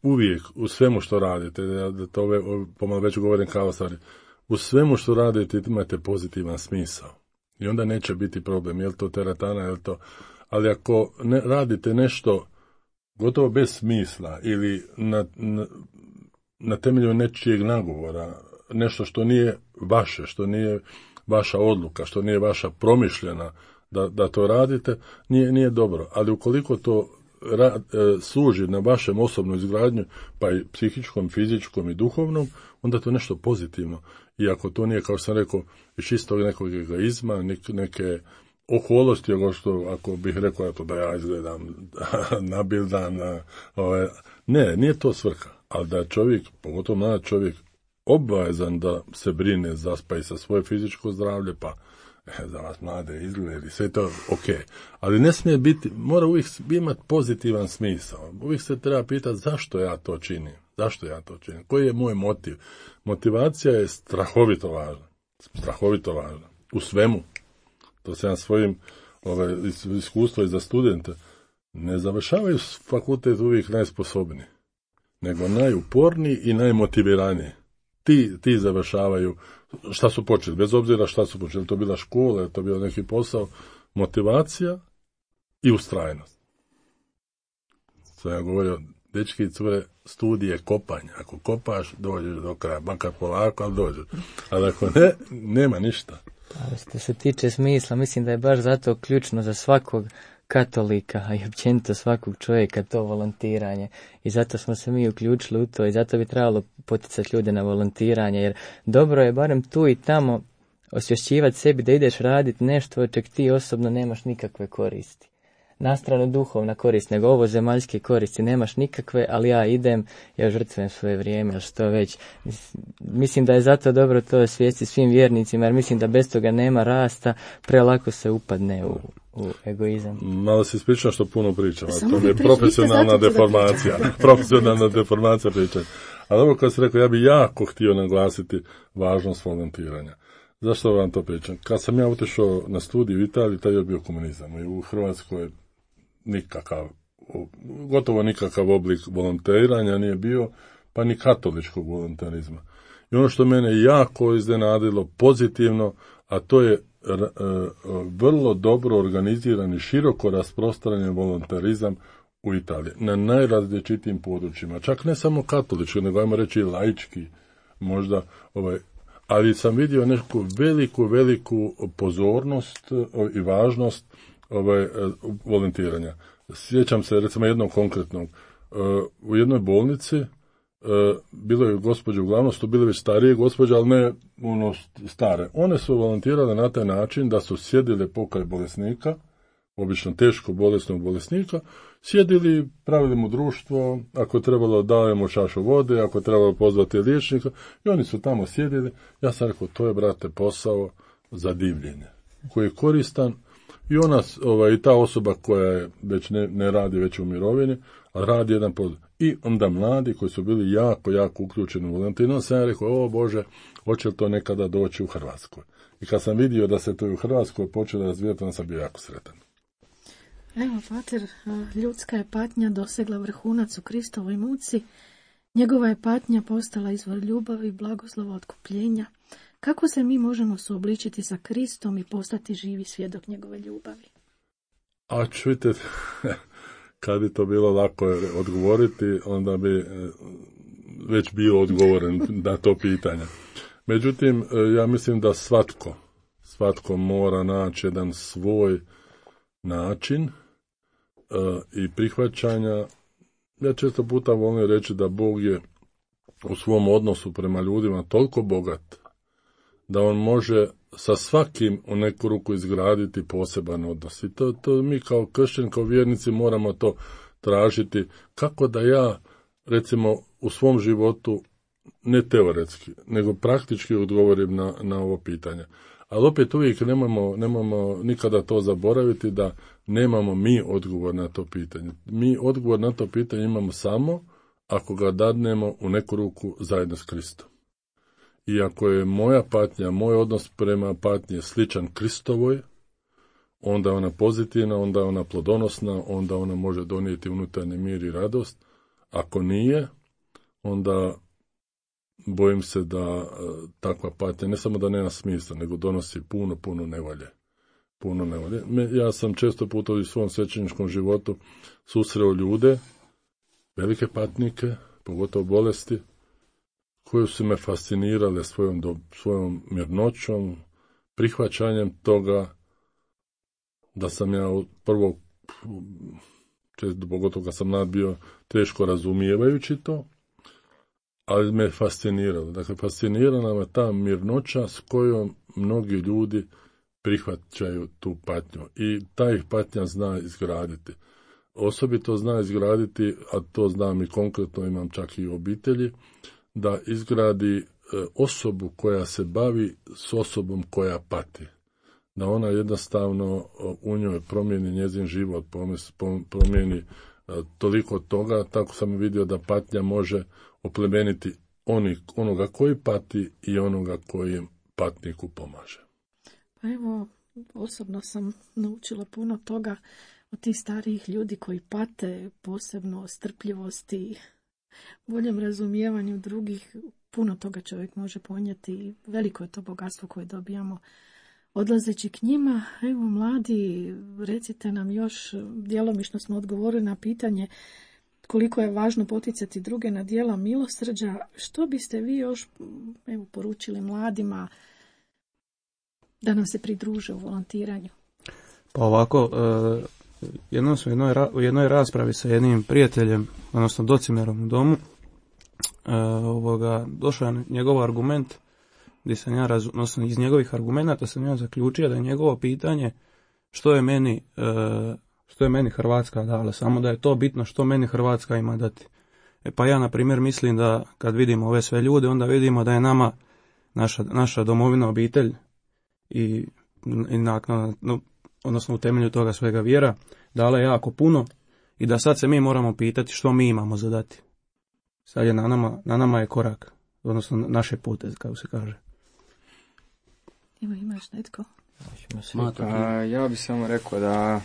uvijek u svemu što radite, da to pomalo već govorim kao stvari, u svemu što radite imate pozitivan smisao i onda neće biti problem, je li to teretana, je li to, ali ako ne radite nešto gotovo bez smisla ili na temelju nečijeg nagovora, nešto što nije vaše, što nije vaša odluka, što nije vaša promišljena da to radite, nije dobro. Ali ukoliko to služi na vašem osobnom izgradnju, pa i psihičkom, fizičkom i duhovnom, onda to je nešto pozitivno. I ako to nije, kao sam rekao, iz čistog nekog egoizma, neke oholosti, ako bih rekao da ja izgledam nabildan, nije to svrha. Ali da je čovjek, pogotovo mlad čovjek, obavezan da se brine pa i za svoje fizičko zdravlje, pa za vas mlade izgledi, sve to ok. Ali ne smije biti, mora uvijek imati pozitivan smisao. Uvijek se treba pitati zašto ja to činim. Koji je moj motiv? Motivacija je strahovito važna. U svemu. To se ja svojim iskustvo i za studente. Ne završavaju fakultet uvijek najsposobniji, nego najuporniji i najmotiviraniji. Ti završavaju šta su počeli, bez obzira šta su počeli, to bila škola, to bio neki posao, motivacija i ustrajnost. Sam ja govorio, dečki i cure, studije kopanja. Ako kopaš, dođeš do kraja, makar polako, ali dođeš. Ali ako ne, nema ništa. Što se tiče smisla, mislim da je baš zato ključno za svakog katolika, a i općenito svakog čovjeka to volontiranje. I zato smo se mi uključili u to i zato bi trebalo poticati ljude na volontiranje, jer dobro je barem tu i tamo osvješćivati sebi da ideš raditi nešto od čeg ti osobno nemaš nikakve koristi. Na stranu duhovna korist, nego ovo zemaljske koristi nemaš nikakve, ali ja idem, ja žrtvujem svoje vrijeme, ili što već. Mislim da je zato dobro to osvijestiti svim vjernicima, jer mislim da bez toga nema rasta, prelako se upadne u egoizam. Malo se ispričam što puno pričam, to je profesionalna deformacija pričanja. Ali ovo kad sam rekao, ja bi jako htio naglasiti važnost volontiranja. Zašto vam to pričam? Kad sam ja otišao na studij u Italiji, tad je bio komunizam i u Hrvatskoj gotovo nikakav oblik volontiranja nije bio, pa ni katoličkog volontarizma. I ono što mene jako iznenadilo pozitivno, a to je vrlo dobro organiziran i široko rasprostranjen volontarizam u Italiji, na najrazličitijim područjima, čak ne samo katolički, nego ajmo reći laički, možda ali sam vidio neku veliku pozornost i važnost volontiranja. Sjećam se recimo jednog konkretnog. U jednoj bolnici bilo je gospođe, uglavnom su bile već starije gospođe, ali ne stare. One su volontirale na taj način da su sjedile pokraj bolesnika, obično teško bolesnog bolesnika, sjedili, pravili mu društvo, ako je trebalo dajemo čašu vode, ako je trebalo pozvati liječnika, i oni su tamo sjedili. Ja sam rekao, to je, brate, posao za divljenje, koji je koristan, i ona, i ta osoba koja je već ne radi već u mirovini, a radi jedan posao. I onda mladi koji su bili jako uključeni u volontiranje, sam ja rekao, o Bože, hoće li to nekada doći u Hrvatskoj? I kad sam vidio da se to i u Hrvatskoj počelo razvijati, onda sam bio jako sretan. Evo, pater, ljudska je patnja dosegla vrhunac u Kristovoj muci, njegova je patnja postala izvor ljubavi, blagoslova, otkupljenja. Kako se mi možemo suobličiti sa Kristom i postati živi svjedok njegove ljubavi? A čujte, kad bi to bilo lako odgovoriti, onda bi već bio odgovoren na to pitanje. Međutim, ja mislim da svatko mora naći jedan svoj način i prihvaćanja. Ja često puta volim reći da Bog je u svom odnosu prema ljudima toliko bogat, da on može sa svakim u neku ruku izgraditi poseban odnos. I to mi kao kršćani, kao vjernici moramo to tražiti. Kako da ja, recimo, u svom životu, ne teoretski, nego praktički odgovorim na ovo pitanje. Ali opet uvijek nemamo nikada to zaboraviti da nemamo mi odgovor na to pitanje. Mi odgovor na to pitanje imamo samo ako ga dadnemo u neku ruku zajedno s Kristom. I ako je moja patnja, moj odnos prema patnji sličan Kristovoj, onda je ona pozitivna, onda je ona plodonosna, onda ona može donijeti unutarnji mir i radost. Ako nije, onda bojim se da takva patnja ne samo da nema smisla, nego donosi puno nevolje. Ja sam često puta u svom svećeničkom životu susreo ljude, velike patnike, pogotovo bolesti, koje su me fascinirale svojom mirnoćom, prihvaćanjem toga da sam ja prvo, često pogotovo kad sam mlad bio, teško razumijevajući to, ali me fasciniralo. Dakle, fascinirala me ta mirnoća s kojom mnogi ljudi prihvaćaju tu patnju. I ta ih patnja zna izgraditi. Osobito zna izgraditi, a to znam i konkretno, imam čak i u obitelji, da izgradi osobu koja se bavi s osobom koja pati. Da ona jednostavno u njoj promijeni njezin život, promijeni toliko toga, tako sam vidio da patnja može oplemeniti onoga koji pati i onoga koji patniku pomaže. Pa evo, osobno sam naučila puno toga od tih starijih ljudi koji pate, posebno strpljivosti, boljem razumijevanju drugih. Puno toga čovjek može ponijeti i veliko je to bogatstvo koje dobijamo odlazeći k njima. Evo, mladi, recite nam još, djelomično smo odgovorili na pitanje koliko je važno poticati druge na djela milosrđa. Što biste vi još poručili mladima da nam se pridruže u volontiranju? Pa ovako, jednom smo u jednoj raspravi sa jednim prijateljem, odnosno Docimerom u domu, došao je njegov argument, gdje sam ja odnosno iz njegovih argumenata sam ja zaključio da je njegovo pitanje što je meni Hrvatska dala, samo da je to bitno što meni Hrvatska ima dati. Pa ja, na primjer, mislim da kad vidimo ove sve ljude, onda vidimo da je nama naša domovina, obitelj i odnosno u temelju toga svega vjera dala je jako puno i da sad se mi moramo pitati što mi imamo za dati. Sad je na nama je korak, odnosno naše pute, kako se kaže. Imaš netko? Ja bih samo rekao da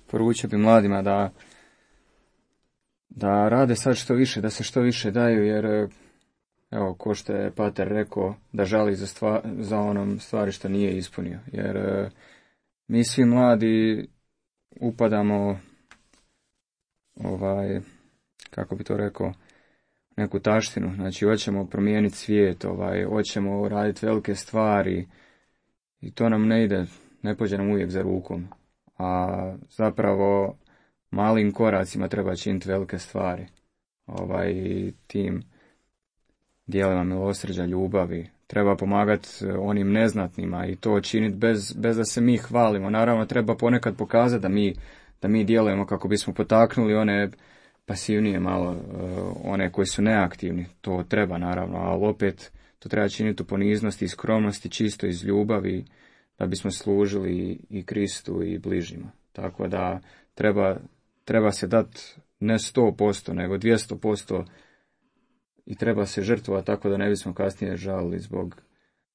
poručio bi mladima da rade sad što više, da se što više daju, jer evo, ko što je pater rekao, da žali za onom stvari što nije ispunio. Jer mi svi mladi upadamo kako bi to rekao, neku taštinu. Znači, hoćemo promijeniti svijet, hoćemo raditi velike stvari i to nam ne ide, ne pođe nam uvijek za rukom. A zapravo malim koracima treba činiti velike stvari. Tim dijelima milosrđa, ljubavi. Treba pomagati onim neznatnima i to činiti bez da se mi hvalimo. Naravno, treba ponekad pokazati da mi djelujemo kako bismo potaknuli one pasivnije malo, one koji su neaktivni. To treba, naravno, ali opet to treba činiti u poniznosti i skromnosti, čisto iz ljubavi, da bismo služili i Kristu i bližnjima. Tako da treba se dati ne 100%, nego 200% i treba se žrtvovati tako da ne bismo kasnije žalili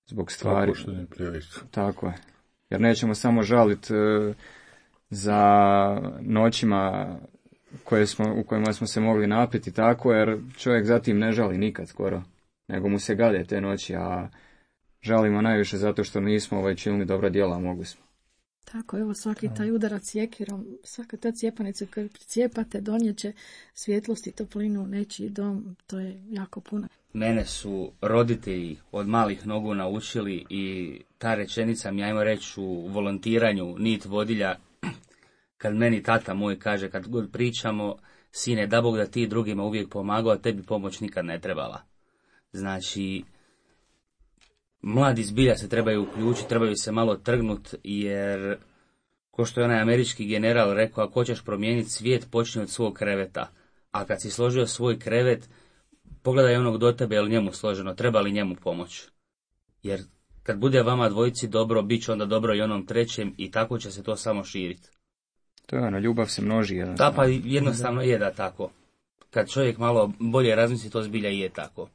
zbog stvari. Tako je. Jer nećemo samo žaliti za noćima u kojima smo se mogli napiti tako, jer čovjek zatim ne žali nikad skoro, nego mu se gade te noći, a žalimo najviše zato što nismo činili dobra djela, mogli smo. Tako, evo, svaki taj udarac sjekirom, svaka ta cijepanica koju pricijepate donijeće svjetlost i toplinu u nečiji dom, to je jako puno. Mene su roditelji od malih nogu naučili i ta rečenica mi, ajmo reći, u volontiranju nit vodilja, kad meni tata moj kaže, kad god pričamo, sine, da Bog da ti drugima uvijek pomagao, a tebi pomoć nikad ne trebala. Znači, mladi zbilja se trebaju uključiti, trebaju se malo trgnuti, jer, ko što je onaj američki general rekao, ako hoćeš promijeniti svijet, počni od svog kreveta. A kad si složio svoj krevet, pogledaj onog do tebe, je li njemu složeno, treba li njemu pomoć. Jer kad bude vama dvojici dobro, bit će onda dobro i onom trećem i tako će se to samo širiti. To je ono, ljubav se množi. Da, pa jednostavno je da tako. Kad čovjek malo bolje razmisli, to zbilja i je tako.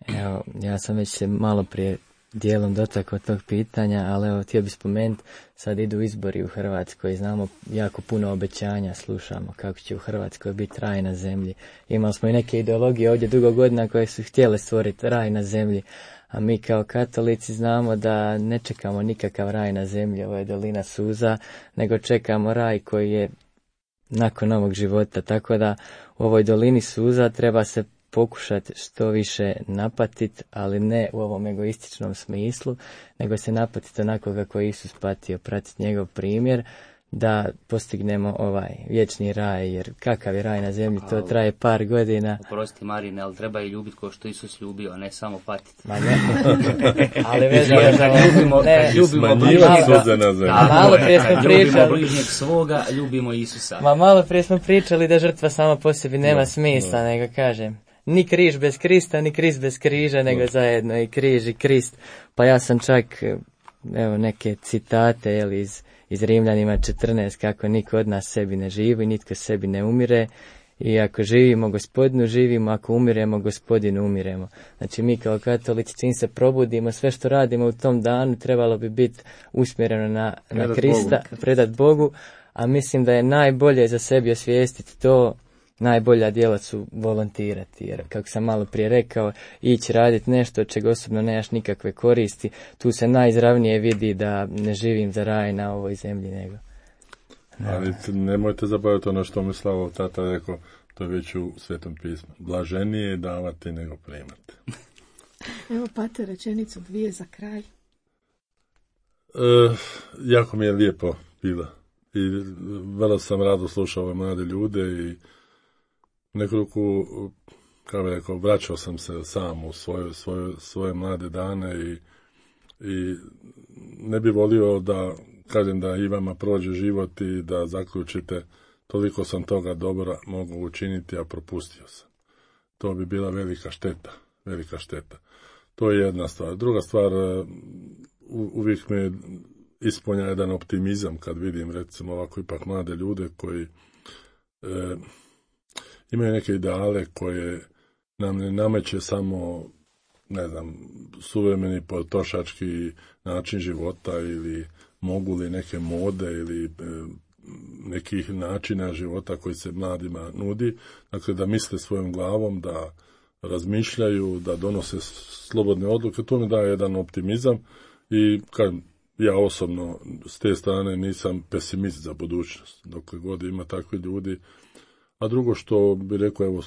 Evo, ja sam već se malo prije dijelom dotakao tog pitanja, ali evo, htio bih spomenuti, sad idu izbori u Hrvatskoj, znamo jako puno obećanja, slušamo kako će u Hrvatskoj biti raj na zemlji. Imali smo i neke ideologije ovdje dugo godina koje su htjele stvoriti raj na zemlji, a mi kao katolici znamo da ne čekamo nikakav raj na zemlji, ovo je dolina suza, nego čekamo raj koji je nakon novog života, tako da u ovoj dolini suza treba se pokušati što više napatiti, ali ne u ovom egoističnom smislu, nego se napatiti onako kako je Isus patio, pratiti njegov primjer, da postignemo ovaj vječni raj, jer kakav je raj na zemlji, to traje par godina. Oprosti Marine, ali treba i ljubiti kao što Isus ljubio, a ne samo patiti. Ma ne, ali ljubimo malo prije smo pričali, bližnjeg svoga, ljubimo Isusa. Ma malo prije smo pričali da žrtva sama po sebi nema smisla, nego kažem, ni križ bez Krista, ni Krist bez križa, nego zajedno i križ i Krist. Pa ja sam čak, evo, neke citate, jel, iz Rimljanima 14, kako niko od nas sebi ne živi, nitko sebi ne umire, i ako živimo Gospodinu živimo, ako umiremo Gospodinu umiremo. Znači mi kao katolici čim se probudimo, sve što radimo u tom danu trebalo bi biti usmjereno na Krista, predat Bogu, a mislim da je najbolje za sebi osvijestiti to, najbolja djela su volontirati, jer kako sam malo prije rekao, ići raditi nešto od čega osobno nemaš nikakve koristi, tu se najizravnije vidi da ne živim za raj na ovoj zemlji, nego. Ali nemojte zaboraviti ono što mi Slavo tata rekao, to je već u Svetom pismu. Blaženije je davati nego primati. Evo, pate rečenicu dvije za kraj. Jako mi je lijepo bilo. I vrlo sam rado slušao ove mlade ljude i nekoliko, kao bih rekao, vraćao sam se sam u svoje mlade dane i ne bi volio da kažem da i vama prođe život i da zaključite toliko sam toga dobra mogu učiniti, a propustio sam. To bi bila velika šteta. To je jedna stvar. Druga stvar, uvijek me ispunja jedan optimizam kad vidim recimo ovako ipak mlade ljude koji imaju neke ideale koje nam ne nameće samo, ne znam, suvremeni potrošački način života ili mogu li neke mode ili nekih načina života koji se mladima nudi. Dakle, da misle svojom glavom, da razmišljaju, da donose slobodne odluke. To mi daje jedan optimizam i kad ja osobno s te strane nisam pesimist za budućnost. Dokle god ima takvi ljudi. A drugo što bi rekao, evo,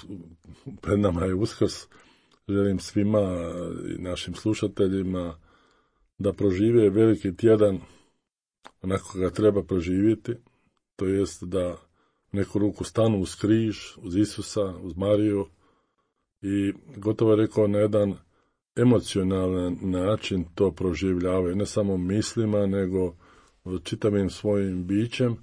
pred nama je Uskrs, želim svima i našim slušateljima da prožive veliki tjedan onako ga treba proživjeti, to jest da neku ruku stanu uz križ, uz Isusa, uz Mariju i gotovo je rekao na jedan emocionalan način to proživljavaju, ne samo mislima, nego čitavim svojim bićem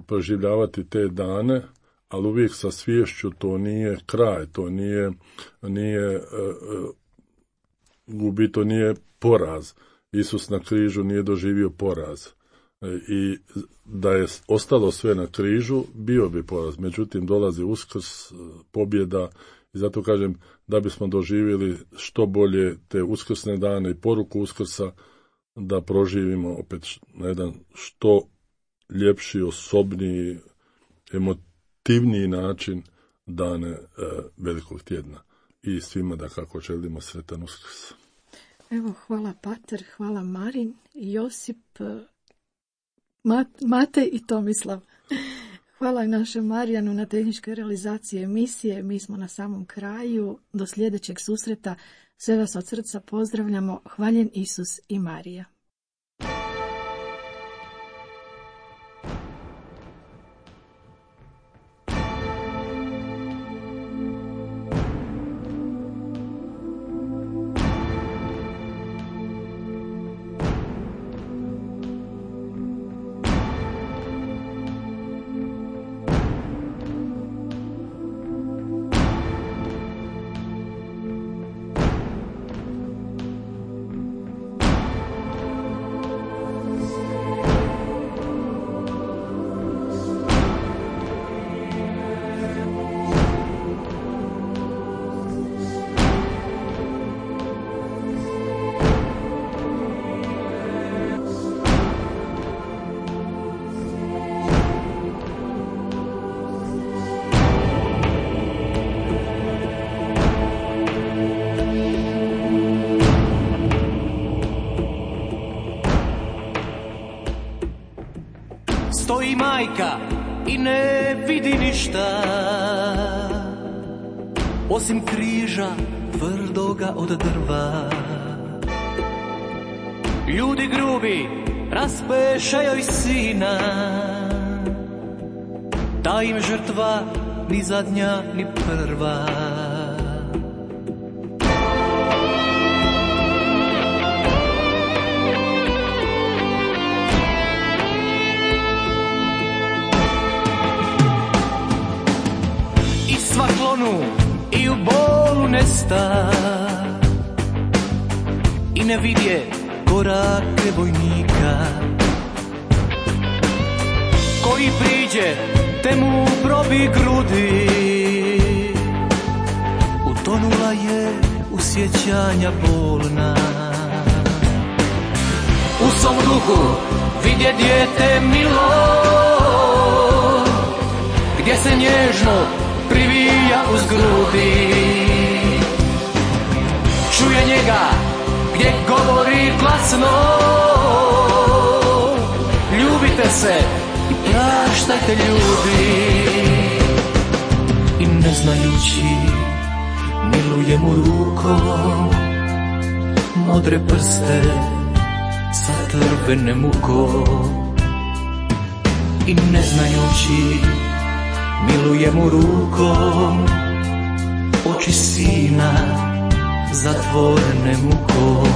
proživljavati te dane, ali uvijek sa sviješću to nije kraj, to nije gubi, to nije poraz. Isus na križu nije doživio poraz. I da je ostalo sve na križu, bio bi poraz. Međutim, dolazi Uskrs, pobjeda i zato kažem da bismo doživjeli što bolje te uskrsne dane i poruku Uskrsa, da proživimo opet na jedan što ljepši, osobniji, emotivniji način dane velikog tjedna. I svima da kako želimo sretan Uskrs. Evo, hvala Pater, hvala Marin, Josip, Mate i Tomislav. Hvala i našem Marijanu na tehničkoj realizaciji emisije. Mi smo na samom kraju. Do sljedećeg susreta. Sve vas od srca pozdravljamo. Hvaljen Isus i Marija. majka i ne vidi ništa osim križa tvrdoga od drva. Ljudi grubi raspeše joj sina, ta im žrtva ni zadnja ni prva. I sva klonu i u bolu nesta i ne vidje korake vojnika koji priđe te mu probi grudi. Utonula je u sjećanja bolna. U svom duhu vidje dijete milo gdje se nježno privija uz grudi. Čuje njega gdje govori glasno, ljubite se i praštajte ljudi. I ne znajući miluje mu rukom modre prste sa trvene mukom. I ne znajući miluje mu rukom oči sina zatvorene mukom.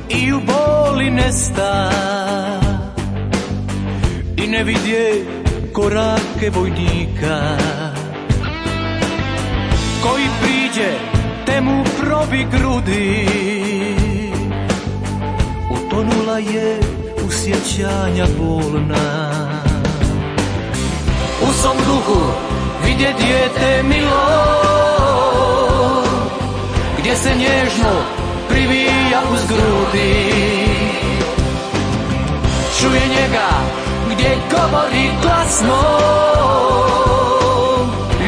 I u boli nesta i ne vidje korake vojnika koji priđe te mu probi grudi. Utonula je u sjećanja bolna. U svom duhu vidje dijete milo gdje se nježno privija uz grudi. Čuje njega gdje govori glasno,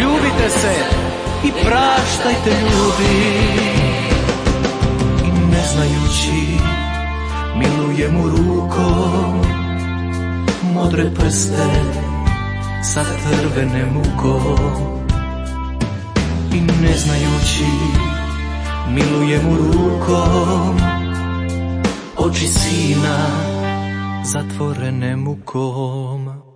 ljubite se i praštajte ljudi. I ne znajući miluje mu rukom modre prste sa trvene mukom. I ne znajući miluje mu rukom oči sina zatvorene mukom.